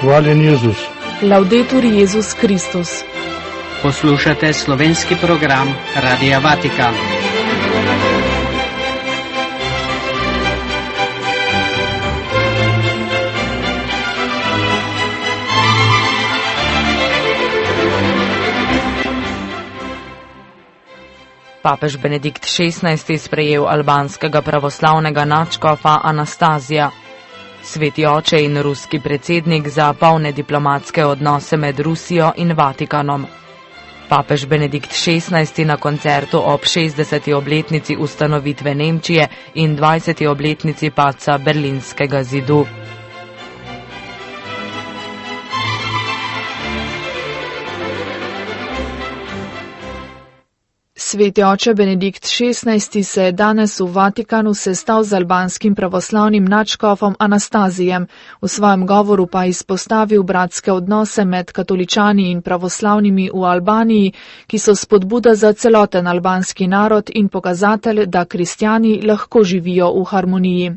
Hvaljen Jezus. Laudetur Jezus Kristus. Poslušate slovenski program Radia Vatikan. Papež Benedikt XVI. Sprejel albanskega pravoslavnega nadškofa Anastazija. Sveti oče in ruski predsednik za polne diplomatske odnose med Rusijo in Vatikanom. Papež Benedikt XVI. Na koncertu ob 60. obletnici ustanovitve Nemčije in 20. obletnici padca Berlinskega zidu. Sveti oče Benedikt XVI. Se je danes v Vatikanu sestal z albanskim pravoslavnim nadškofom Anastazijem, v svojem govoru pa izpostavil bratske odnose med katoličani in pravoslavnimi v Albaniji, ki so spodbuda za celoten albanski narod in pokazatelj, da kristjani lahko živijo v harmoniji.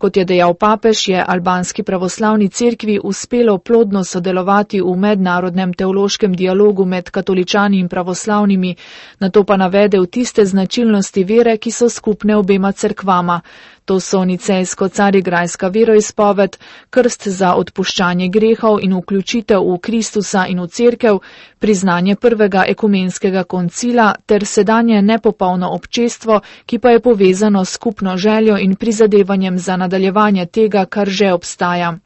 Kot je dejal papež, je albanski pravoslavni cerkvi uspelo plodno sodelovati v mednarodnem teološkem dialogu med katoličani in pravoslavnimi, nato pa navedel tiste značilnosti vere, ki so skupne obema cerkvama. To so nicejsko-carigrajska veroizpoved, krst za odpuščanje grehov in vključitev v Kristusa in v cerkev, priznanje prvega ekumenskega koncila ter sedanje nepopolno občestvo, ki pa je povezano s skupno željo in prizadevanjem za nadaljevanje tega, kar že obstaja.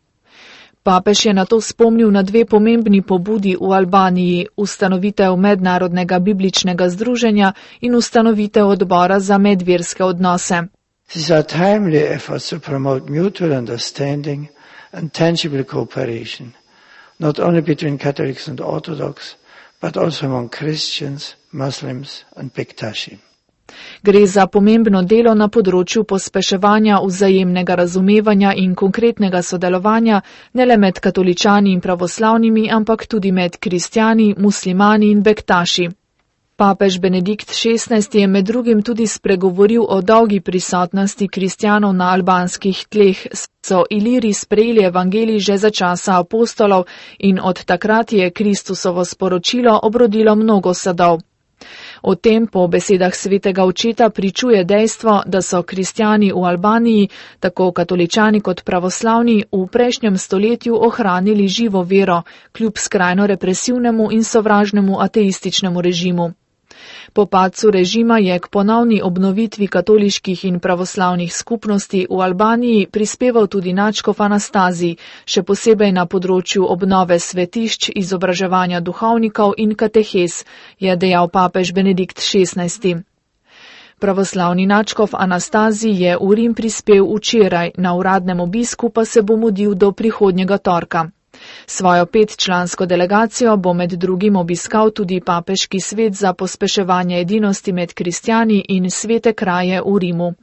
Papež je nato spomnil na dve pomembni pobudi v Albaniji, ustanovitev mednarodnega bibličnega združenja in ustanovitev odbora za medverske odnose. These are timely efforts to promote mutual understanding and tangible cooperation, not only between Catholics and Orthodox, but also among Christians, Muslims and Bektaši. Gre za pomembno delo na področju pospeševanja vzajemnega razumevanja in konkretnega sodelovanja ne le med katoličani in pravoslavnimi, ampak tudi med kristjani, muslimani in Bektaši. Papež Benedikt XVI. Je med drugim tudi spregovoril o dolgi prisotnosti kristjanov na albanskih tleh, so Iliri sprejeli evangelij že za časa apostolov in od takrat je Kristusovo sporočilo obrodilo mnogo sadov. O tem po besedah svetega očeta pričuje dejstvo, da so kristjani v Albaniji, tako katoličani kot pravoslavni, v prejšnjem stoletju ohranili živo vero, kljub skrajno represivnemu in sovražnemu ateističnemu režimu. Po padcu režima je k ponovni obnovitvi katoliških in pravoslavnih skupnosti v Albaniji prispeval tudi nadškof Anastazij, še posebej na področju obnove svetišč, izobraževanja duhovnikov in katehes, je dejal papež Benedikt XVI. Pravoslavni nadškof Anastazij je v Rim prispel včeraj, na uradnem obisku pa se bo mudil do prihodnjega torka. Svojo 5-člansko delegacijo bo med drugim obiskal tudi papeški svet za pospeševanje edinosti med kristjani in svete kraje v Rimu.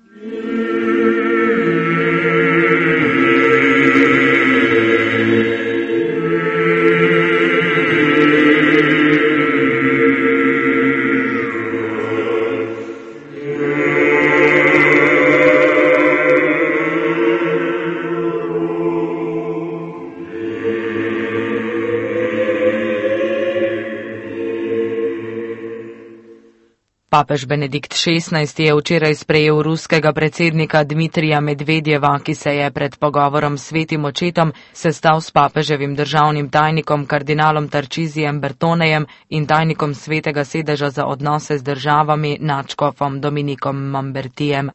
Papež Benedikt XVI. Je včeraj sprejel ruskega predsednika Dmitrija Medvedjeva, ki se je pred pogovorom s svetim očetom sestal s papeževim državnim tajnikom kardinalom Tarčizijem Bertonejem in tajnikom svetega sedeža za odnose z državami nadškofom Dominikom Mambertijem.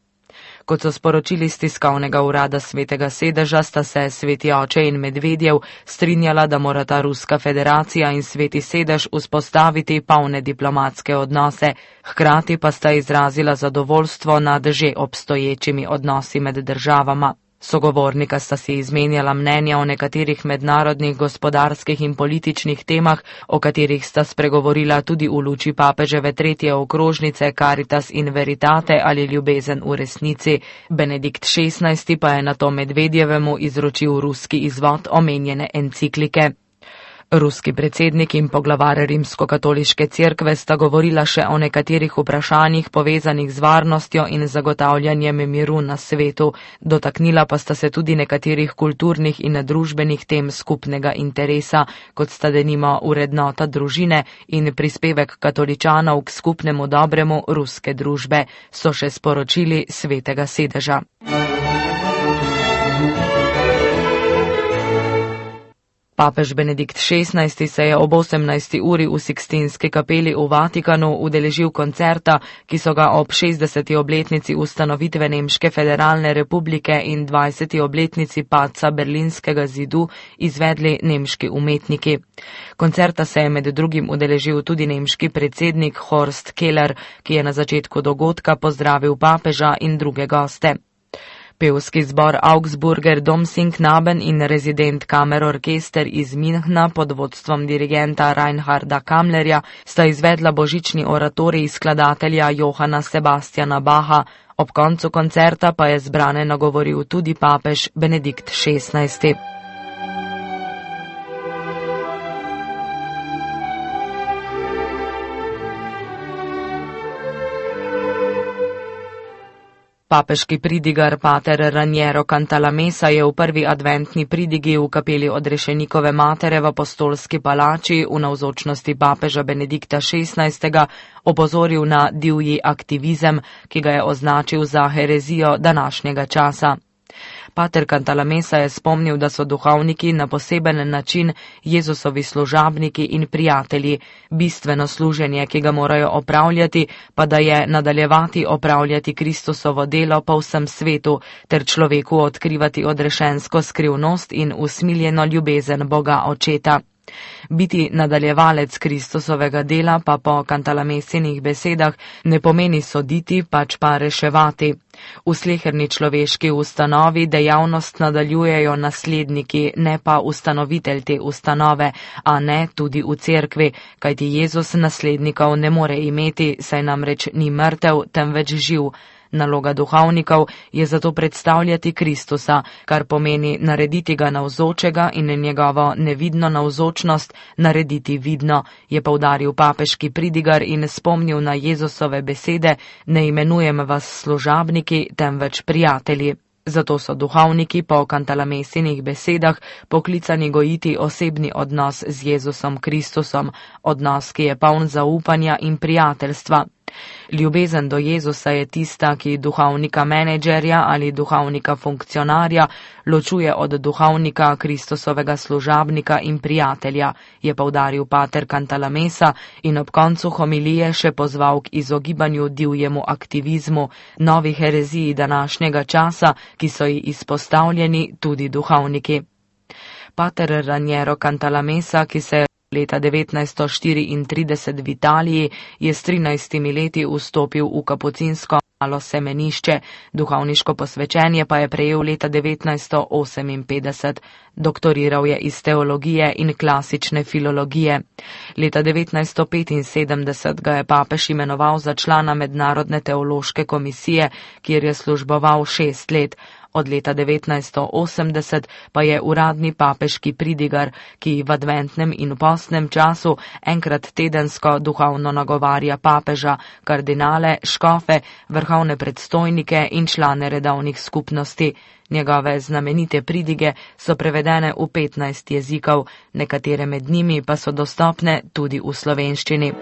Kot so sporočili iz tiskovnega urada svetega sedeža, sta se sveti oče in Medvedjev strinjala, da morata Ruska federacija in sveti sedež vzpostaviti polne diplomatske odnose, hkrati pa sta izrazila zadovoljstvo nad že obstoječimi odnosi med državama. Sogovornika sta si izmenjala mnenja o nekaterih mednarodnih gospodarskih in političnih temah, o katerih sta spregovorila tudi v luči papeževe 3. okrožnice Caritas in Veritate ali ljubezen v resnici. Benedikt XVI. Pa je nato Medvedjevemu izročil ruski izvod omenjene enciklike. Ruski predsednik in poglavar Rimskokatoliške cerkve sta govorila še o nekaterih vprašanjih povezanih z varnostjo in zagotavljanjem miru na svetu. Dotaknila pa sta se tudi nekaterih kulturnih in družbenih tem skupnega interesa, kot sta denimo vrednota družine in prispevek katoličanov k skupnemu dobremu ruske družbe, so še sporočili Svetega sedeža. Papež Benedikt XVI se je ob 18. uri v Sikstinski kapeli v Vatikanu udeležil koncerta, ki so ga ob 60. obletnici ustanovitve Nemške federalne republike in 20. obletnici padca Berlinskega zidu izvedli nemški umetniki. Koncerta se je med drugim udeležil tudi nemški predsednik Horst Keller, ki je na začetku dogodka pozdravil papeža in druge goste. Pevski zbor Augsburger Domsingknaben in rezident kamerorkester iz Münchna pod vodstvom dirigenta Reinharda Kammlerja sta izvedla božični oratorij skladatelja Johana Sebastiana Bacha. Ob koncu koncerta pa je zbrane nagovoril tudi papež Benedikt XVI. Papeški pridigar pater Raniero Cantalamessa je v prvi adventni pridigi v kapeli Odrešenikove matere v Apostolski palači v navzočnosti papeža Benedikta XVI. Opozoril na divji aktivizem, ki ga je označil za herezijo današnjega časa. Pater Cantalamessa je spomnil, da so duhovniki na poseben način Jezusovi služabniki in prijatelji, bistveno služenje, ki ga morajo opravljati, pa da je nadaljevati opravljati Kristusovo delo po vsem svetu, ter človeku odkrivati odrešensko skrivnost in usmiljeno ljubezen Boga Očeta. Biti nadaljevalec Kristusovega dela pa po Cantalamessinih besedah ne pomeni soditi, pač pa reševati. V sleherni človeški ustanovi dejavnost nadaljujejo nasledniki, ne pa ustanovitelj te ustanove, a ne tudi v cerkvi, kajti Jezus naslednikov ne more imeti, saj namreč ni mrtev, temveč živ. Naloga duhovnikov je zato predstavljati Kristusa, kar pomeni narediti ga navzočega in njegovo nevidno navzočnost narediti vidno, je poudaril papeški pridigar in spomnil na Jezusove besede: ne imenujem vas služabniki, temveč prijatelji. Zato so duhovniki po Cantalamessinih besedah poklicani gojiti osebni odnos z Jezusom Kristusom, odnos, ki je poln zaupanja in prijateljstva. Ljubezen do Jezusa je tista, ki duhovnika menedžerja ali duhovnika funkcionarja ločuje od duhovnika Kristusovega služabnika in prijatelja, je poudaril pater Cantalamessa in ob koncu homilije še pozval k izogibanju divjemu aktivizmu, novi hereziji današnjega časa, ki so ji izpostavljeni tudi duhovniki. Pater Raniero Cantalamessa, ki se leta 1934 v Italiji, je s 13 leti vstopil v kapucinsko malo semenišče, duhovniško posvečenje pa je prejel leta 1958. Doktoriral je iz teologije in klasične filologije. Leta 1975 ga je papež imenoval za člana Mednarodne teološke komisije, kjer je služboval 6 let. Od leta 1980 pa je uradni papeški pridigar, ki v adventnem in postnem času enkrat tedensko duhovno nagovarja papeža, kardinale, škofe, vrhovne predstojnike in člane redovnih skupnosti. Njegove znamenite pridige so prevedene v 15 jezikov, nekatere med njimi pa so dostopne tudi v slovenščini.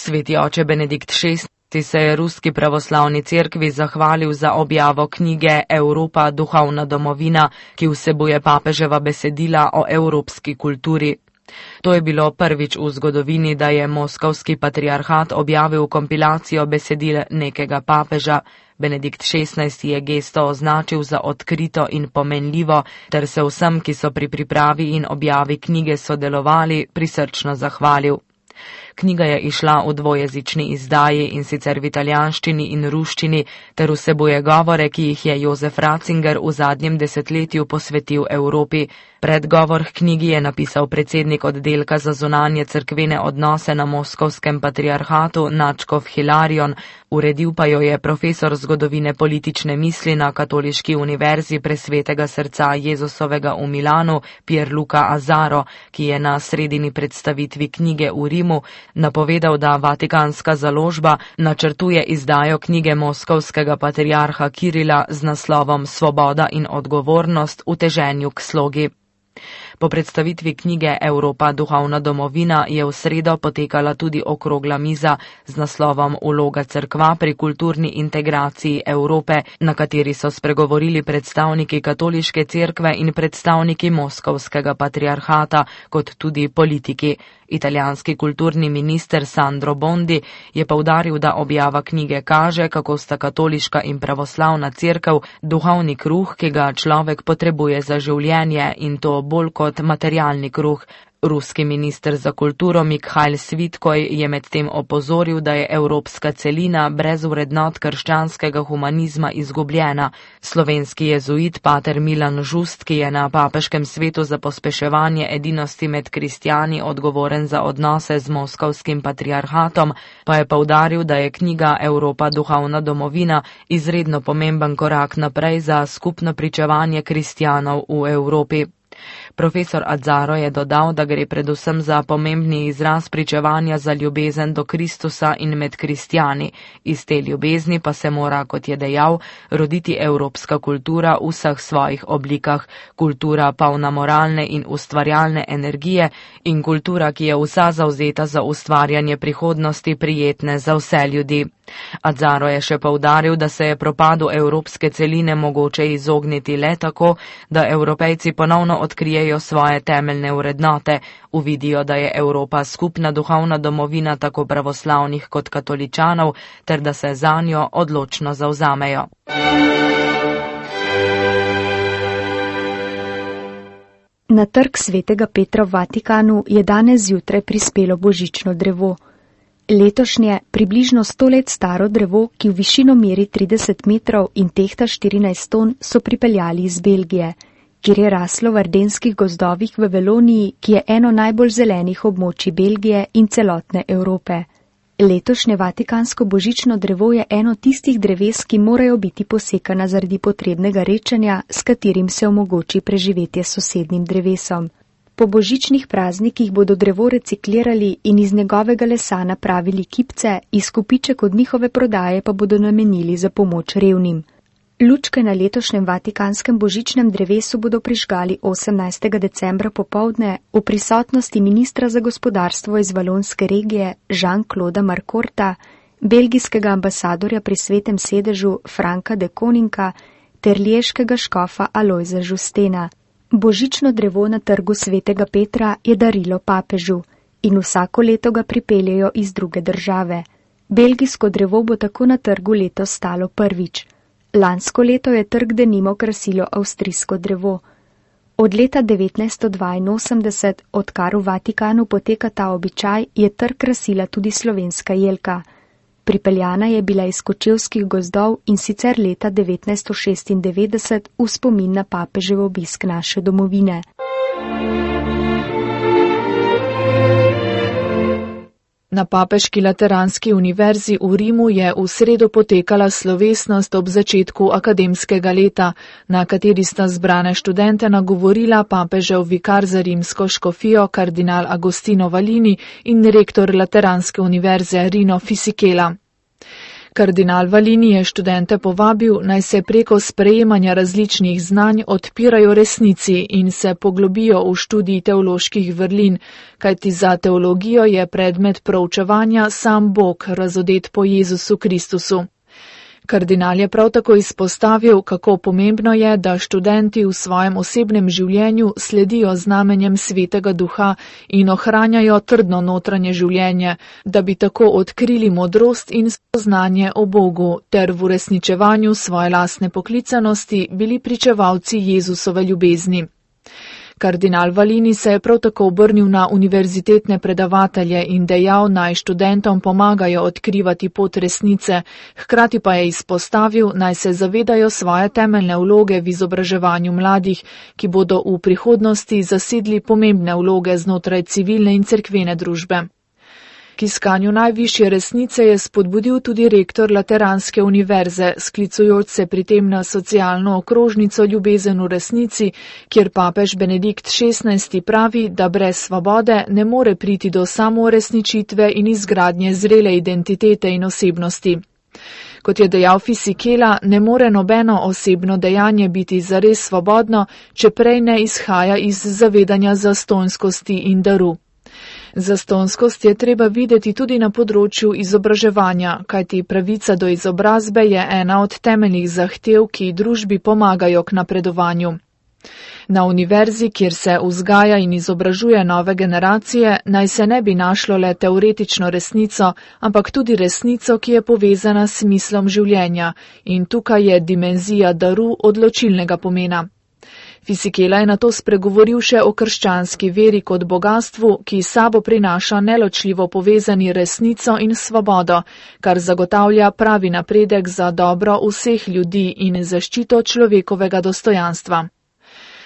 Sveti oče Benedikt XVI se je Ruski pravoslavni cerkvi zahvalil za objavo knjige Evropa, duhovna domovina, ki vsebuje papeževa besedila o evropski kulturi. To je bilo prvič v zgodovini, da je moskovski patriarhat objavil kompilacijo besedil nekega papeža. Benedikt XVI je gesto označil za odkrito in pomenljivo, ter se vsem, ki so pri pripravi in objavi knjige sodelovali, prisrčno zahvalil. Knjiga je izšla v dvojezični izdaji, in sicer v italijanščini in ruščini, ter vsebuje govore, ki jih je Jozef Ratzinger v zadnjem desetletju posvetil Evropi. Predgovor k knjigi je napisal predsednik oddelka za zunanje cerkvene odnose na Moskovskem patriarhatu Načkov Hilarion, uredil pa jo je profesor zgodovine politične misli na Katoliški univerzi Presvetega srca Jezusovega v Milanu Pierluca Azzaro, ki je na sredini predstavitvi knjige v Rimu napovedal, da Vatikanska založba načrtuje izdajo knjige moskovskega patriarha Kirila z naslovom Svoboda in odgovornost v teženju k slogi. Po predstavitvi knjige Evropa duhovna domovina je v sredo potekala tudi okrogla miza z naslovom Vloga cerkva pri kulturni integraciji Evrope, na kateri so spregovorili predstavniki katoliške cerkve in predstavniki moskovskega patriarhata, kot tudi politiki. Italijanski kulturni minister Sandro Bondi je poudaril, da objava knjige kaže, kako sta katoliška in pravoslavna cerkev duhovni kruh, ki ga človek potrebuje za življenje, in to bolj kot materialni kruh. Ruski minister za kulturo Mikhail Svitkoj je medtem opozoril, da je evropska celina brez vrednot krščanskega humanizma izgubljena. Slovenski jezuit pater Milan Žust, ki je na papeškem svetu za pospeševanje edinosti med kristjani odgovoren za odnose z moskovskim patriarhatom, pa je poudaril, da je knjiga Evropa duhovna domovina izredno pomemben korak naprej za skupno pričevanje kristjanov v Evropi. Profesor Azzaro je dodal, da gre predvsem za pomembni izraz pričevanja za ljubezen do Kristusa in med kristjani. Iz te ljubezni pa se mora, kot je dejal, roditi evropska kultura v vseh svojih oblikah, kultura polna moralne in ustvarjalne energije in kultura, ki je vsa zavzeta za ustvarjanje prihodnosti prijetne za vse ljudi. Azzaro je še poudaril, da se je propadu evropske celine mogoče izogniti le tako, da Evropejci ponovno odkrijejo svoje temeljne vrednote, uvidijo, da je Evropa skupna duhovna domovina tako pravoslavnih kot katoličanov, ter da se zanjo odločno zavzamejo. Na trg Svetega Petra v Vatikanu je danes zjutraj prispelo božično drevo. Letošnje, približno 100 let staro drevo, ki v višino meri 30 metrov in tehta 14 ton, so pripeljali iz Belgije, kjer je raslo v ardenskih gozdovih v Veloniji, ki je eno najbolj zelenih območij Belgije in celotne Evrope. Letošnje vatikansko božično drevo je eno tistih dreves, ki morajo biti posekana zaradi potrebnega rečenja, s katerim se omogoči preživetje s sosednjim drevesom. Po božičnih praznikih bodo drevo reciklirali in iz njegovega lesa napravili kipce, izkupiček od njihove prodaje pa bodo namenili za pomoč revnim. Lučke na letošnjem vatikanskem božičnem drevesu bodo prižgali 18. decembra popoldne v prisotnosti ministra za gospodarstvo iz valonske regije Jean-Claude Marcorta, belgijskega ambasadorja pri Svetem sedežu Franka de Koninka ter liješkega škofa Alojza Žustena. Božično drevo na trgu Svetega Petra je darilo papežu in vsako leto ga pripeljejo iz druge države. Belgijsko drevo bo tako na trgu letos stalo prvič. Lansko leto je trg denimo krasilo avstrijsko drevo. Od leta 1982, odkar v Vatikanu poteka ta običaj, je trg krasila tudi slovenska jelka. Pripeljana je bila iz kočevskih gozdov in sicer leta 1996 v spomin na papežev obisk naše domovine. Na Papeški lateranski univerzi v Rimu je v sredo potekala slovesnost ob začetku akademskega leta, na kateri sta zbrane študente nagovorila papežev vikar za rimsko škofijo kardinal Agostino Valini in rektor lateranske univerze Rino Fisichella. Kardinal Valini je študente povabil, naj se preko sprejemanja različnih znanj odpirajo resnici in se poglobijo v študij teoloških vrlin, kajti za teologijo je predmet proučevanja sam Bog, razodet po Jezusu Kristusu. Kardinal je prav tako izpostavil, kako pomembno je, da študenti v svojem osebnem življenju sledijo znamenjem Svetega Duha in ohranjajo trdno notranje življenje, da bi tako odkrili modrost in spoznanje o Bogu ter v uresničevanju svoje lastne poklicanosti bili pričevalci Jezusove ljubezni. Kardinal Valini se je prav tako obrnil na univerzitetne predavatelje in dejal, naj študentom pomagajo odkrivati pot resnice, hkrati pa je izpostavil, naj se zavedajo svoje temeljne vloge v izobraževanju mladih, ki bodo v prihodnosti zasedli pomembne vloge znotraj civilne in cerkvene družbe. K iskanju najvišje resnice je spodbudil tudi rektor Lateranske univerze, sklicujoč se pri tem na socialno okrožnico Ljubezen v resnici, kjer papež Benedikt XVI pravi, da brez svobode ne more priti do samouresničitve in izgradnje zrele identitete in osebnosti. Kot je dejal Fisichella, ne more nobeno osebno dejanje biti zares svobodno, če prej ne izhaja iz zavedanja zastonjskosti in daru. Zastonjskost je treba videti tudi na področju izobraževanja, kajti pravica do izobrazbe je ena od temeljnih zahtev, ki družbi pomagajo k napredovanju. Na univerzi, kjer se vzgaja in izobražuje nove generacije, naj se ne bi našlo le teoretično resnico, ampak tudi resnico, ki je povezana s smislom življenja, in tukaj je dimenzija daru odločilnega pomena. Fisichella je nato spregovoril še o krščanski veri kot bogastvu, ki sabo prinaša neločljivo povezani resnico in svobodo, kar zagotavlja pravi napredek za dobro vseh ljudi in zaščito človekovega dostojanstva.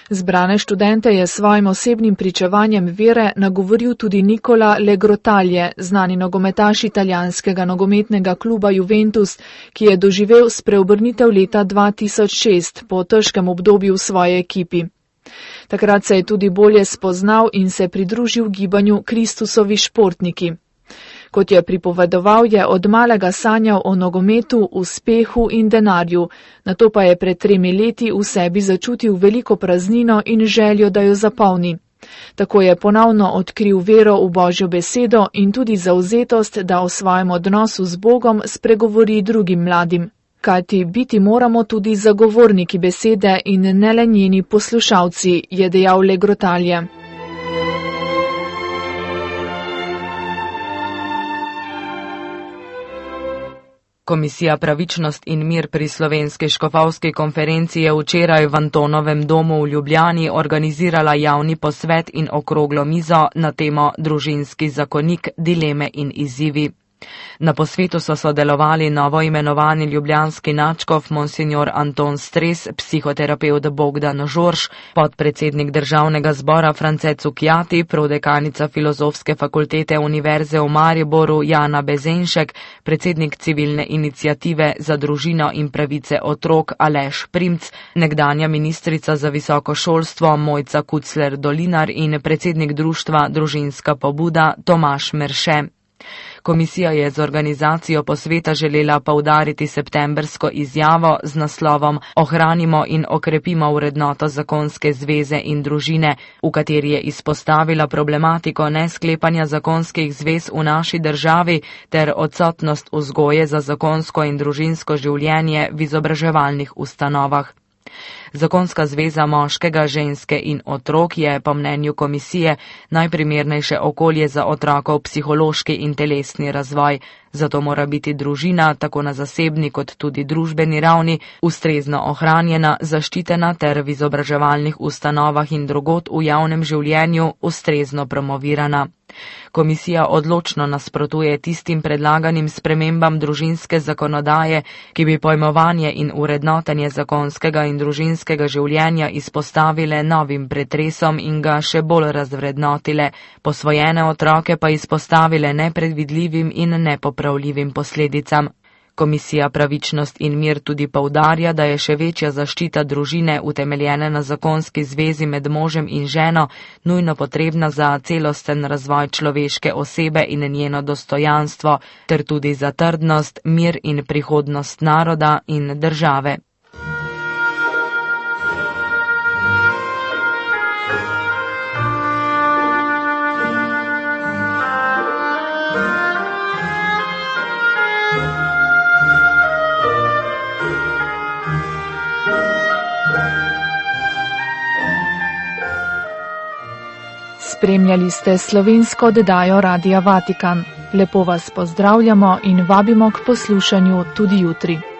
Zbrane študente je svojim osebnim pričevanjem vere nagovoril tudi Nicola Legrotalje, znani nogometaš italijanskega nogometnega kluba Juventus, ki je doživel spreobrnitev leta 2006 po težkem obdobju v svoji ekipi. Takrat se je tudi bolje spoznal in se pridružil gibanju Kristusovi športniki. Kot je pripovedoval, je od malega sanjal o nogometu, uspehu in denarju, nato pa je pred 3 leti v sebi začutil veliko praznino in željo, da jo zapolni. Tako je ponovno odkril vero v Božjo besedo in tudi zavzetost, da o svojem odnosu z Bogom spregovori drugim mladim. Kajti biti moramo tudi zagovorniki besede in ne le njeni poslušalci, je dejal Legrotalje. Komisija Pravičnost in mir pri Slovenski škofovski konferenci je včeraj v Antonovem domu v Ljubljani organizirala javni posvet in okroglo mizo na temo Družinski zakonik, dileme in izzivi. Na posvetu so sodelovali novoimenovani ljubljanski nadškof monsignor Anton Stres, psihoterapevt Bogdan Žorž, podpredsednik državnega zbora France Cukjati, prodekanica Filozofske fakultete Univerze v Mariboru Jana Bezenšek, predsednik civilne iniciative za družino in pravice otrok Aleš Primc, nekdanja ministrica za visoko šolstvo Mojca Kucler Dolinar in predsednik društva Družinska pobuda Tomaž Merše. Komisija je z organizacijo posveta želela poudariti septembrsko izjavo z naslovom Ohranimo in okrepimo vrednoto zakonske zveze in družine, v kateri je izpostavila problematiko nesklepanja zakonskih zvez v naši državi ter odsotnost vzgoje za zakonsko in družinsko življenje v izobraževalnih ustanovah. Zakonska zveza moškega, ženske in otrok je, po mnenju komisije, najprimernejše okolje za otrokov psihološki in telesni razvoj, zato mora biti družina, tako na zasebni kot tudi družbeni ravni, ustrezno ohranjena, zaščitena ter v izobraževalnih ustanovah in drugod v javnem življenju ustrezno promovirana. Komisija odločno nasprotuje tistim predlaganim spremembam družinske zakonodaje, ki bi pojmovanje in urednotenje zakonskega in družinskega življenja izpostavile novim pretresom in ga še bolj razvrednotile, posvojene otroke pa izpostavile nepredvidljivim in nepopravljivim posledicam. Komisija Pravičnost in mir tudi poudarja, da je še večja zaščita družine utemeljene na zakonski zvezi med možem in ženo nujno potrebna za celosten razvoj človeške osebe in njeno dostojanstvo, ter tudi za trdnost, mir in prihodnost naroda in države. Spremljali ste slovensko oddajo Radia Vatikan. Lepo vas pozdravljamo in vabimo k poslušanju tudi jutri.